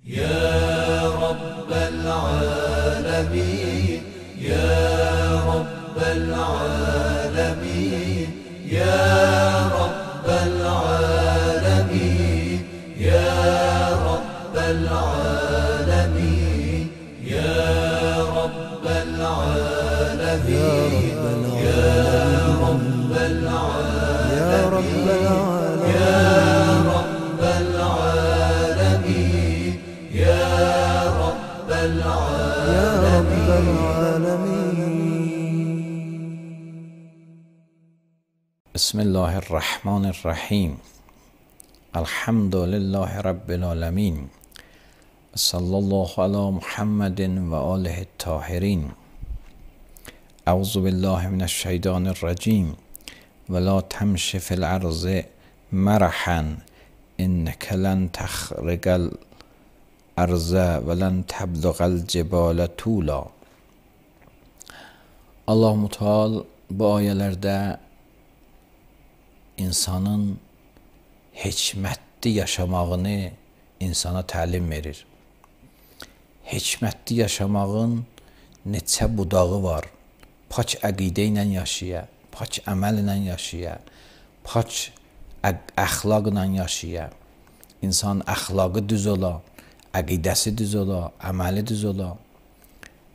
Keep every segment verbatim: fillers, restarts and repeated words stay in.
يا رب العالمين يا رب العالمين يا رب العالمين يا رب العالمين يا رب العالمين يا رب العالمين يا رب العالمين يا رب العالمين. بسم الله الرحمن الرحیم. الحمد لله رب العالمین. صلی الله علی محمد و آله الطاهرین. اعوذ بالله من الشیطان الرجیم. ولا تمش فی الارض مرحا انک لن تخرج الارض ولن تبلغ الجبال طولا. Allah Müteal bu ayələrdə insanın hikmətli yaşamağını insana təlim verir. Hikmətli yaşamağın neçə budağı var. Pak əqidə ilə yaşaya, pak əməl ilə yaşaya, pak əxlaqla yaşaya. İnsan əxlaqı düz ola, əqidəsi düz ola, əməli düz ola.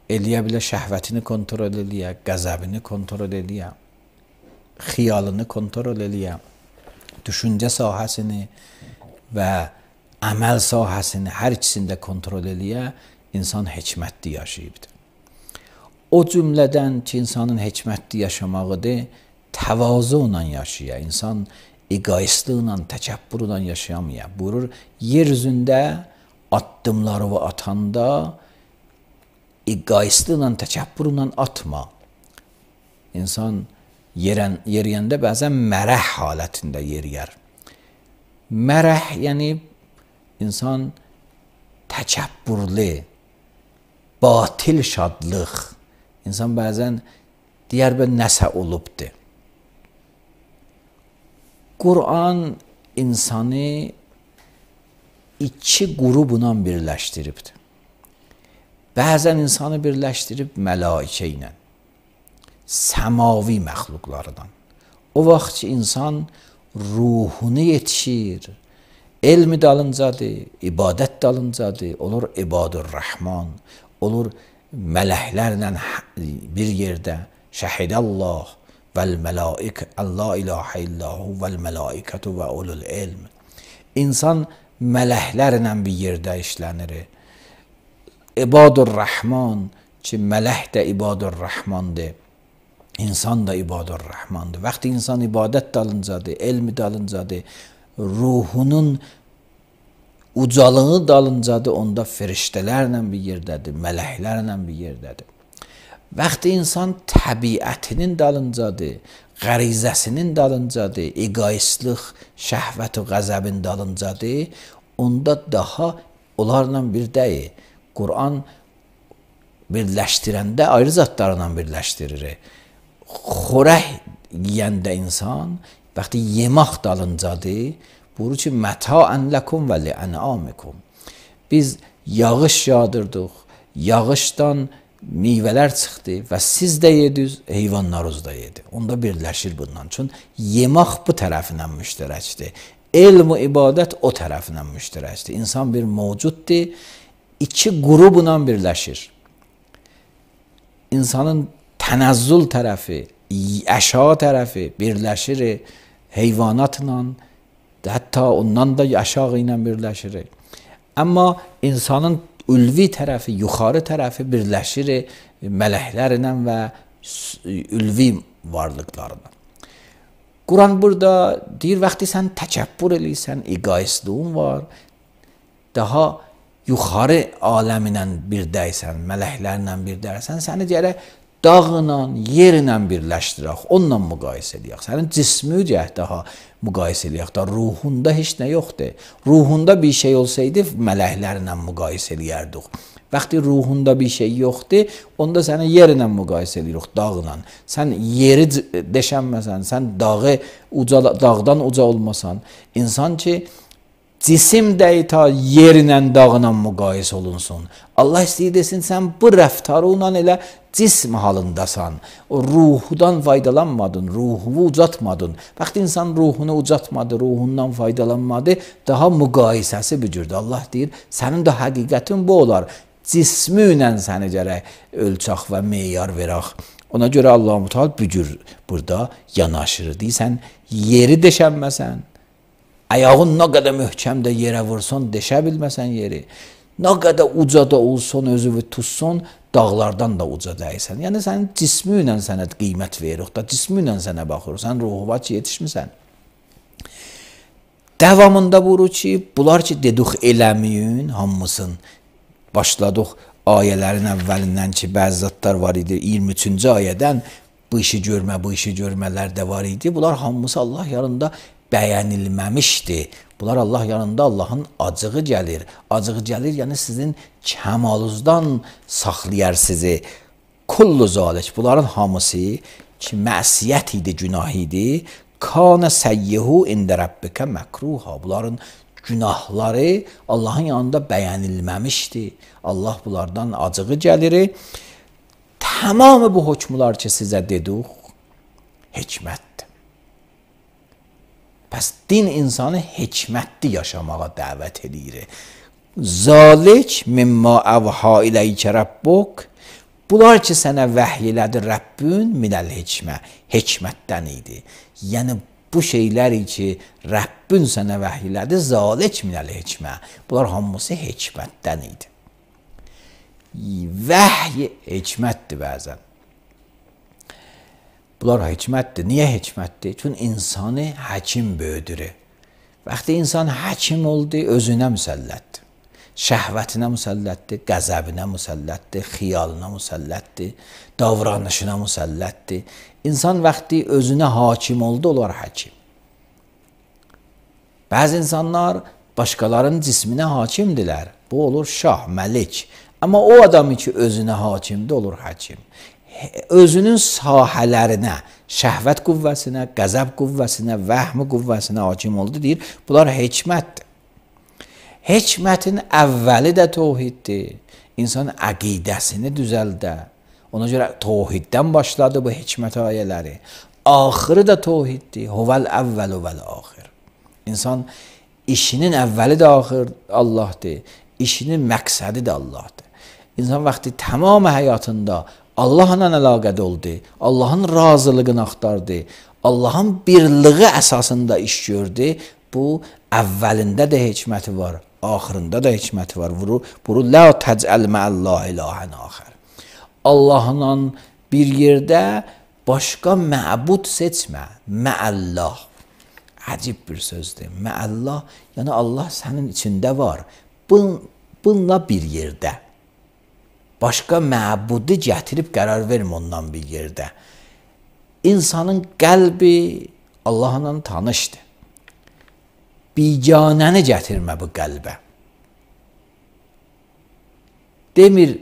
Eləyə bilə şəhvətini kontrol eləyə, qəzəbini kontrol eləyə, xiyalını kontrol eləyə, düşüncə sahəsini və əməl sahəsini hər ikisində kontrol eləyə, insan hikmətli yaşayıbdır. O cümlədən ki, insanın hikmətli yaşamağıdır, təvazuyla yaşaya, insan egoistliklə, təkəbbürlə yaşayamaya. Buyurur, yer üzündə addımlarını atanda egoistliklə, təkəbbürlə atma. İnsan yerən, yeriyəndə bəzən mərəh halətində yeriyər. Mərəh, yəni insan təkəbbürlü, batil şadlıq. İnsan bəzən deyər bə nəsə olubdur. Qur'an insanı iki qrubla birləşdiribdir. Bəzən insanı birləşdirib mələikə ilə, səmavi məxluqlardan. O vaxt ki, insan ruhunu yetişir, elmi dalıncadır, ibadət dalıncadır, olur ibadur rəhman, olur mələklərlə bir yerdə şəhidəllah vəl-mələik, Allah ilahə illahu vəl-mələikətü və ulul ilm. İnsan mələklərlə bir yerdə işlənir. İbadur rəhman ki, mələk də ibadur rəhmandır, insan da ibadur rəhmandır. Vaxtı insan ibadət dalıncadır, elmi dalıncadır, ruhunun ucalığı dalıncadır, onda firiştələrlə bir yerdədir, mələklərlə bir yerdədir. Vaxtı insan təbiətinin dalıncadır, qərizəsinin dalıncadır, egoistlik, şəhvət və qəzəbin dalıncadır, onda daha onlarla bir deyil. Qur'an birləşdirəndə ayrı zatlarla birləşdirir. Xorək yiyəndə insan, vaxtı yemək dalıncadır, buyurur ki, məta'ən ləkum və li'ənamikum. Biz yağış yağdırdıq, yağışdan meyvələr çıxdı və siz də yediniz, heyvanlarınız da yedi. Onda birləşir bundan. Çünki yemək bu tərəfindən müştərəkdir. Elm və ibadət o tərəfindən müştərəkdir. İnsan bir mövcuddur, iki qrubla birləşir. İnsanın tənəzzül tərəfi, əşya tərəfi birləşir heyvanatla, hətta ondan da aşağı ilə birləşir. Amma insanın ülvi tərəfi, yuxarı tərəfi birləşir mələklərlə və ülvi varlıqlarla. Quran burada deyir, vaxtı sən təkəbbür eləyirsən, egoistliğin var, daha yuxarı aləminə birdəysən, mələklərlə birdəysən, səni deyərək dağla, yerlə birləşdirək, onunla müqayisə eləyək. Sənin cismi cəhət daha müqayisə eləyək da, ruhunda heç nə yoxdur. Ruhunda bir şey olsaydı, mələklərlə müqayisə eləyərdik. Vaxtı ruhunda bir şey yoxdur, onda səni yerlə müqayisə edirik, dağla. Sən yeri deşənməsən, sən dağı uca, dağdan uca olmasan, insan ki, cisim də ta yerlə dağla müqayisə olunsun. Allah istəyir desin, sən bu rəftarınla elə cism halındasan. O ruhudan faydalanmadın, ruhunu ucatmadın. Vaxt insan ruhunu ucatmadı, ruhundan faydalanmadı, daha müqayisəsi bücürdür. Allah deyir, sənin də həqiqətin bu olar. Cismi ilə səni gərək ölçək və meyar verək. Ona görə Allah-u Teala bücür burada yanaşır. Deyirsən, yeri deşənməsən, ayağın nə qədər möhkəmdə yerə vursun, deşə bilməsən yeri. Nə qədər ucada olsun, özünü tutsun, dağlardan da uca dəysən. Yəni, sənin cismi ilə sənə qiymət veririk da, cismi ilə sənə baxırıq. Sən ruhuva ki, yetişmirsən. Davamında buyurur ki, bunlar ki, dedik eləməyin, hamısın. Başladıq ayələrin əvvəlindən ki, bəzi zatlar var idi. iyirmi üçüncü ayədən bu işi görmə, bu işi görmələr də var idi. Bunlar hamısı Allah yanında bəyənilməmişdi. Bunlar Allah yanında Allahın acığı gəlir. Acığı gəlir, yəni sizin kəmalınızdan saxlayar sizi. Kullu zalik. Bunların hamısı ki, məsiyyət idi, günah idi. Kana səyyihu ində rabbikə məkruha. Bunların günahları Allahın yanında bəyənilməmişdi. Allah bunlardan acığı gəlir. Tamamı bu hökmlər ki, sizə dedik, hikmətdir. Pəs din insanı hikmətli yaşamağa dəvət edir. Zalik mimma əvha iləykə rabbuk. Bunlar ki, sənə vəhy elədi Rəbbün minəl hikmə. Hikmətdən idi. Yəni, bu şeyləri ki, Rəbbün sənə vəhy elədi, zalik minəl hikmə. Bunlar hamısı hikmətdən idi. Vəhy hikmətdir bəzən. Bunlar hikmətdir. Niyə hikmətdir? Çünki insanı həkim böyüdür. Vaxtı insan həkim oldu, özünə müsəllətdir. Şəhvətinə müsəllətdir, qəzəbinə müsəllətdir, xiyalına müsəllətdir, davranışına müsəllətdir. İnsan vaxtı özünə hakim oldu, onlar həkim. Bəzi insanlar başqalarının cisminə hakimdirlər. Bu olur şah, məlik. Amma o adamı ki, özünə hakimdir, olur həkim. Özünün sahələrinə, şəhvət qüvvəsinə, qəzəb qüvvəsinə, vəhmi qüvvəsinə hakim oldu, deyir. Bunlar hikmətdir. Hikmətin əvvəli də tohiddir. İnsan əqidəsini düzəldə. Ona görə tohiddən başladı bu hikmət ayələri. Axırı da tohiddir. Huvəl əvvəl vəl axir. İnsan işinin əvvəli də axır Allahdır. İşinin məqsədi də Allahdır. İnsan vaxtı tamam həyatında Allahla əlaqədə oldu. Allahın razılığını axtardı. Allahın birliği əsasında iş gördü. Bu əvvəlində də hikməti var. Axırında da hikməti var. Bunu la təcəl mə'əllah ilahən axir. Allahla bir yerdə başqa məbud seçmə. Mə'əllah. Əcib bir sözdür. Mə'əllah, yəni Allah sənin içində var. Bun, bununla bir yerdə. Başqa məbudu gətirib qərar vermə ondan bir yerdə. İnsanın qəlbi Allahla tanışdır. Biganəni gətirmə bu qəlbə. Demir,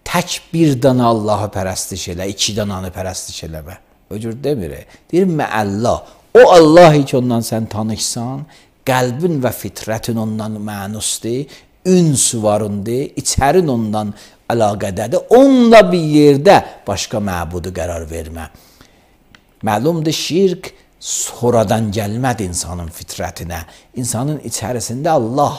tək bir dana Allahı pərəstiş elə, iki dananı pərəstiş eləmə. O cür demir. Deyir, məəllah. O Allah ki, ondan sən tanışsan, qəlbin və fitrətin ondan mənusdur, ünsü varındır, içərin ondan əlaqədədir. Onunla bir yerdə başqa məbudu qərar vermə. Məlumdur, şirk sonradan gəlmədi insanın fitrətinə. İnsanın içərisində Allah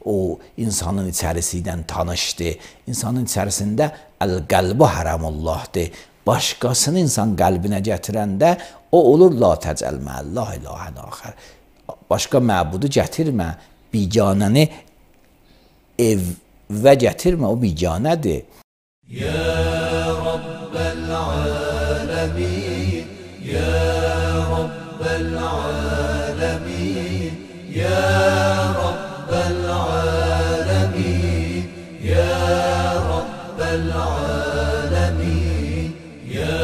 o insanın içərisindən tanışdı. İnsanın içərisində əl-qəlbu hərəmullahdır. Başqasını insan qəlbinə gətirəndə o olur la təcəl mə'əllah ilahən axir. Başqa məbudu gətirmə, biganəni evə gətirmə, o biganədir. Ya Rabbəl aləmin, Ya Rabbəl aləmin, Ya Rabbəl aləmin, Ya Rabbəl aləmin, Ya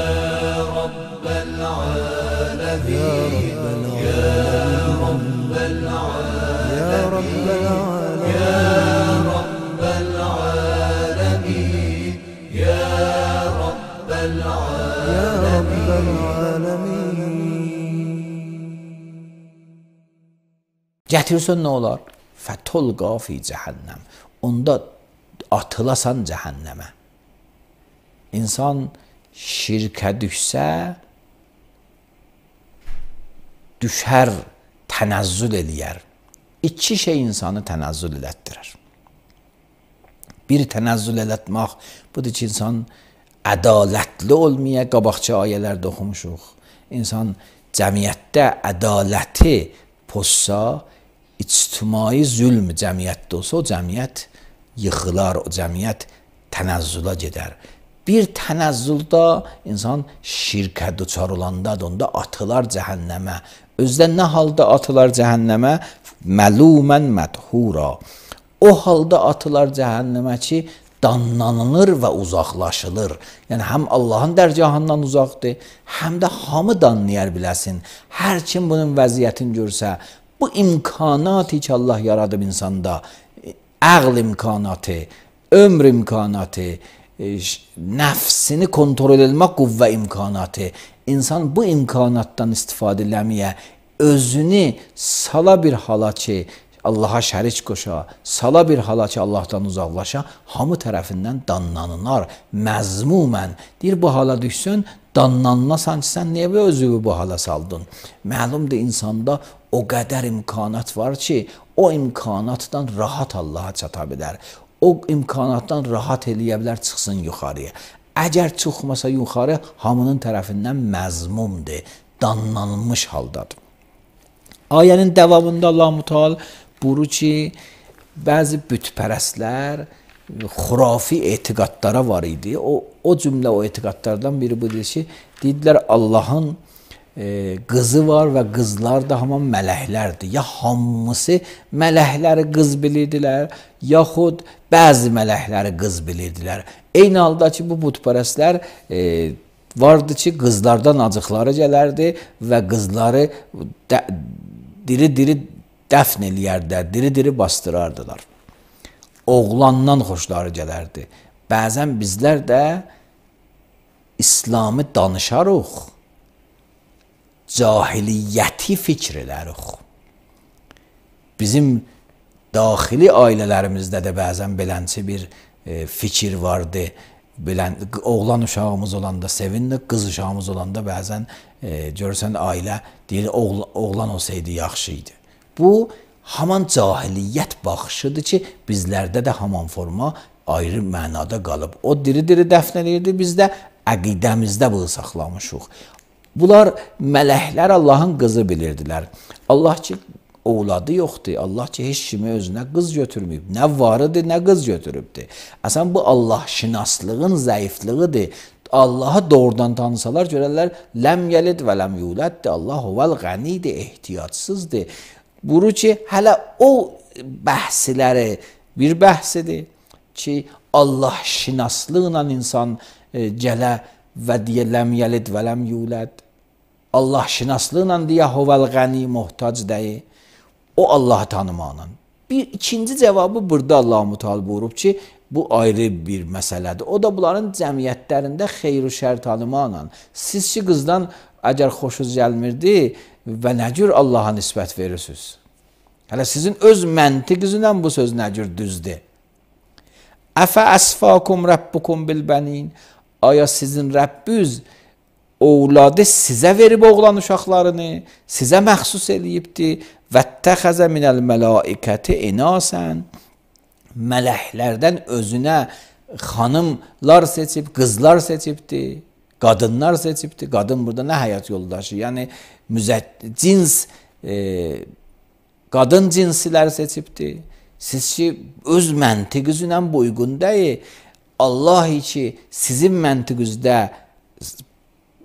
Rabbəl aləmin, Ya Rabbəl aləmin, Ya Rabbəl Ya Rabbəl aləmin, Ya Gətirsən nə olar? Fətulqa fi cəhənnəm. Onda atılasan cəhənnəmə. İnsan şirkə düşsə, düşər, tənəzzül eləyər. İki şey insanı tənəzzül elətdirər. Bir tənəzzül elətmək, budur ki, insan ədalətli olmaya, qabaqçı ayələrdə oxumuşuq. İnsan cəmiyyətdə ədaləti pozsa, ictimai zülm cəmiyyətdə olsa, o cəmiyyət yıxılar, o cəmiyyət tənəzzülə gedər. Bir tənəzzüldə insan şirkə duçar olandadır, onda atılar cəhənnəmə. Özdə nə halda atılar cəhənnəmə? Məlumən mədhura. O halda atılar cəhənnəmə ki, danlanılır və uzaqlaşılır. Yəni, həm Allahın dərgahından uzaqdır, həm də hamı danlayar biləsin. Hər kim bunun vəziyyətini görsə, bu imkanatı ki, Allah yaradıb insanda, əql imkanatı, ömr imkanatı, nəfsini kontrol etmək qüvvə imkanatı, insan bu imkanatdan istifadə eləməyə, özünü sala bir hala ki, Allaha şərik qoşa, sala bir hala ki, Allahdan uzaqlaşa, hamı tərəfindən danlanınar, məzmumən. Deyir, bu hala düşsün, danlanınasan ki, sən niyə özünü bu hala saldın? Məlumdur, insanda o qədər imkanat var ki, o imkanatdan rahat Allaha çata bilər. O imkanatdan rahat eləyə bilər, çıxsın yuxarıya. Əgər çıxmasa yuxarı, hamının tərəfindən məzmumdur, danlanmış haldadır. Ayənin davamında Allah-u Teala buyurur ki, bəzi bütpərəstlər xurafi etiqadlara var idi. O, o cümlə o etiqadlardan biri budur ki, dedilər Allahın e, qızı var və qızlar da hamam mələklərdir. Ya hamısı mələkləri qız bilirdilər, yaxud bəzi mələkləri qız bilirdilər. Eyni halda ki, bu bütpərəstlər e, vardı ki, qızlardan acıqları gələrdi və qızları diri-diri dəfn eləyərdilər, diri-diri bastırardılar. Oğlandan xoşları gələrdi. Bəzən bizlər də İslamı danışarıq, cahiliyyəti fikr edərik. Bizim daxili ailələrimizdə də bəzən belənçi bir e, fikir vardı. Bilən, oğlan uşağımız olanda sevindik, qız uşağımız olanda bəzən e, görürsən ailə deyir, oğlan, oğlan olsaydı yaxşı idi. Bu, haman cahiliyyət baxışıdır ki, bizlərdə də haman forma ayrı mənada qalıb. O diri-diri dəfn edirdi, biz də əqidəmizdə bunu saxlamışıq. Bunlar mələklər Allahın qızı bilirdilər. Allah ki, ovladı yoxdur. Allah ki, heç kimi özünə qız götürməyib. Nə varıdır, nə qız götürübdür. Əsən bu Allah şinaslığın zəifliğidir. Allahı doğrudan tanısalar görərlər, ləm yəlid və ləm yuləddir. Allah huvel qənidir, ehtiyacsızdır. Buyurur ki, hələ o bəhsləri bir bəhsidir ki, Allah şinaslıqla insan e, gələ və deyə ləm yəlid və ləm yulad. Allah şinaslıqla deyə huvel qəni muhtac deyil. O Allahı tanımaqla. Bir ikinci cavabı burada Allah-u Teala buyurub ki, bu ayrı bir məsələdir. O da bunların cəmiyyətlərində xeyr-i şər tanımaqla. Siz ki, qızdan əgər xoşunuz gəlmirdi və nə cür Allaha nisbət verirsiniz? Hələ sizin öz məntiqinizlə bu söz nə cür düzdür? Əfə əsfakum rəbbukum bilbənin. Aya sizin Rəbbiniz ovladı sizə verib oğlan uşaqlarını, sizə məxsus eləyibdir. Vəttəxəzə minəl mələikəti inasən. Mələklərdən özünə xanımlar seçib, qızlar seçibdir, qadınlar seçibdir. Qadın burada nə həyat yoldaşı? Yəni, cins, e, qadın cinsilər seçibdir. Siz ki, öz məntiqinizlə bu uyğun deyil. Allah ki, sizin məntiqinizdə,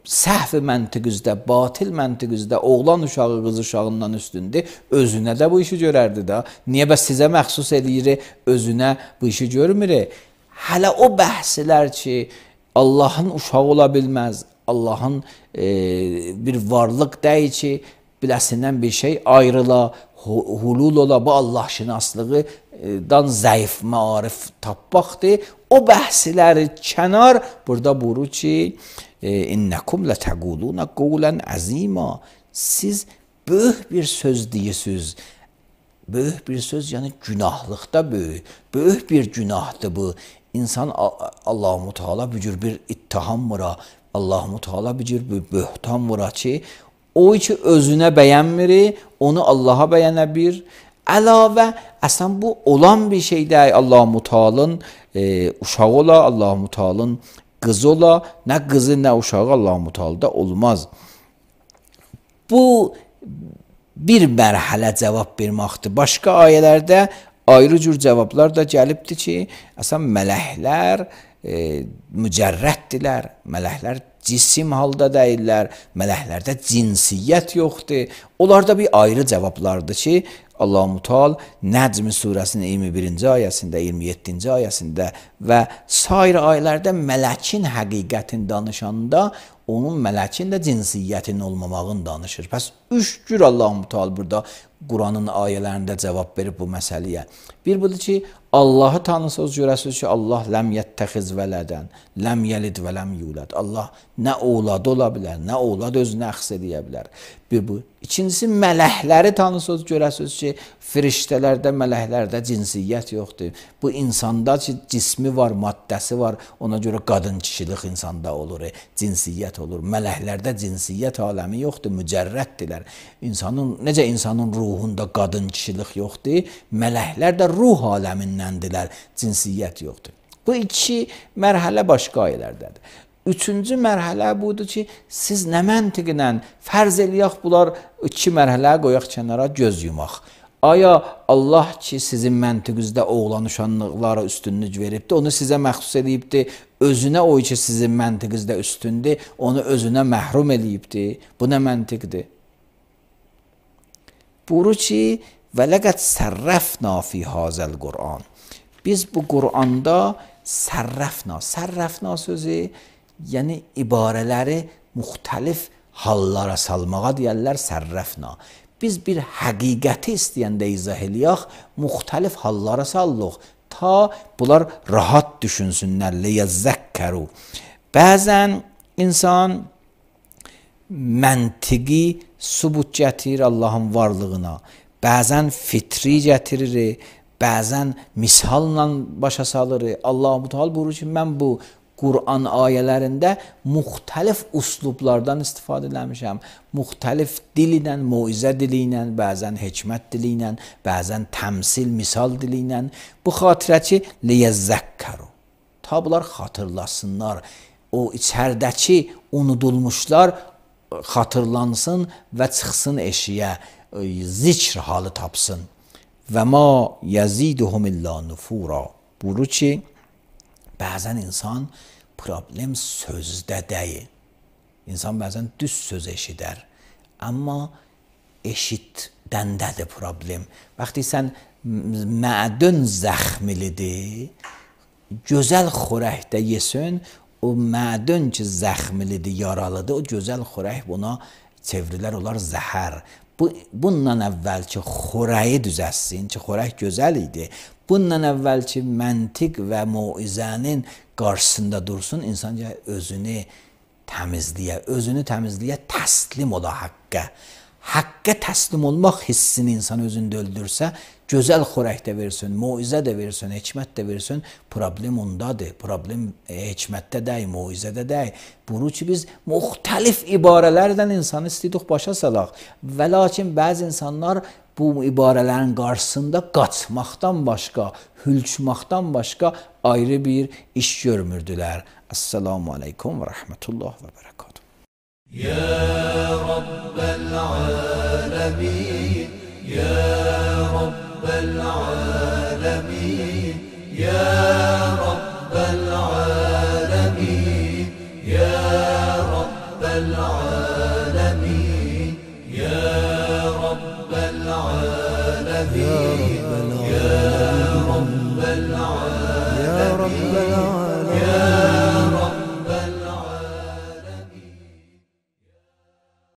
səhv məntiqinizdə, batil məntiqinizdə oğlan uşağı qız uşağından üstündür, özünə də bu işi görərdi da. Niyə bəs sizə məxsus eləyir, özünə bu işi görmür? Hələ o bəhslər ki, Allahın uşağı ola bilməz, Allahın e, bir varlıq deyil ki, biləsindən bir şey ayrıla, hulul ola, bu Allah şinaslığıdan zəif maarif tapmaqdır. O bəhsləri kənar, burada buyurur ki, İnnəkum lətəqulunə qulən əzima. Siz böyük bir söz deyirsiniz. Böyük bir söz, yəni günahlıqda böyük. Böyük bir günahdır bu. İnsan Allah-u Teala bu cür bir ittiham vura, Allah-u Teala bu cür bir böhtan vura ki, o ki özünə bəyənmir, onu Allaha bəyənə bir. Əlavə, əslən bu olan bir şey deyil. Allah-u Teala'nın e, uşağı ola, Allah-u Teala'nın qızı ola, nə qızı, nə uşağı Allah-u Teala'da olmaz. Bu bir mərhələ cavab verməkdir. Başqa ayələrdə ayrı cür cavablar da gəlibdir ki, əslən mələklər e, mücərrətdirlər, mələklər cisim halda deyirlər, mələklərdə cinsiyyət yoxdur. Onlarda bir ayrı cavablardır ki, Allah-u Teala Nəcm surəsinin iyirmi birinci ayəsində, iyirmi yeddinci ayəsində və sair ayələrdə mələkin həqiqətini danışanda onun mələkin də cinsiyyətinin olmamağını danışır. Pəs üç cür Allah-u Teala burada Quranın ayələrində cavab verib bu məsələyə. Bir budur ki, Allahı tanısınız, görəsiniz ki, Allah ləm yəttəxiz vələdən, ləm yəlid və ləm yulad. Allah nə oğladı ola bilər, nə oğlad özünə əxs edə bilər. Bir bu. İkincisi, mələkləri tanısınız, görəsiniz ki, firiştələrdə, mələklərdə cinsiyyət yoxdur. Bu insanda ki, cismi var, maddəsi var, ona görə qadın kişilik insanda olur, cinsiyyət olur. Mələklərdə cinsiyyət aləmi yoxdur, mücərrətdirlər. İnsanın, necə insanın ruhunda qadın kişilik yoxdur, mələklər də ruh aləmindəndirlər, cinsiyyət yoxdur. Bu iki mərhələ başqa ayələrdədir. Üçüncü mərhələ budur ki, siz nə məntiqlə fərz eləyək, bunlar iki mərhələ qoyaq kənara, göz yumaq. Aya Allah ki, sizin məntiqinizdə oğlan uşaqlara üstünlük veribdir, onu sizə məxsus edibdir, özünə o ki, sizin məntiqinizdə üstündür, onu özünə məhrum edibdir. Bu nə məntiqdir? Buyurur ki, və ləqəd sərrəfna fi hazəl Qur'an. Biz bu Qur'anda sərrəfna, sərrəfna sözü, yəni ibarələri müxtəlif hallara salmağa deyərlər sərrəfna. Biz bir həqiqəti istəyəndə izah eləyək, müxtəlif hallara sallıq, ta bunlar rahat düşünsünlər, liyəzzəkkəru. Bəzən insan məntiqi sübut gətirir Allahın varlığına, bəzən fitri gətirir, bəzən misalla başa salır. Allah-u Teala buyurur ki, mən bu Quran ayələrində müxtəlif uslublardan istifadə eləmişəm. Müxtəlif dil ilə, moizə dili ilə, bəzən hikmət dili ilə, bəzən təmsil, misal dili ilə. Bu xatirə ki, liyəzzəkkəru. Ta bunlar xatırlasınlar. O içərdəki unudulmuşlar xatırlansın və çıxsın eşiyə, zikr halı tapsın. Və ma yəziduhum illa nufura. Buyurur ki, bəzən insan problem sözdə deyil. İnsan bəzən düz söz eşidər. Amma eşitdəndədir problem. Vaxtı sən mədün zəxmilidir, gözəl xörəkdə yesin, o mədün ki zəxmilidir, yaralıdır, o gözəl xörək buna çevrilər olar zəhər. Bu, bundan əvvəl ki xörəyi düzəssin, ki xörək gözəl idi, bundan əvvəl ki məntiq və moizənin qarşısında dursun, insan özünü təmizliyə, özünü təmizliyə təslim ola haqqə. Haqqə təslim olmaq hissini insan özündə öldürsə, gözəl xörəkdə versin, moizə də versin, hikmət də versin, problem ondadır. Problem e, hikmətdə deyil, moizədə deyil. Buyurur ki, biz müxtəlif ibarələrdən insanı istəyirik başa salaq. Və lakin bəzi insanlar bu ibarələrin qarşısında qaçmaqdan başqa, hülçmaqdan başqa ayrı bir iş görmürdülər. Esselamu aleykum və rəhmətullah və bərəkatuhu. يا رب العالمين يا رب العالمين يا رب العالمين يا رب العالمين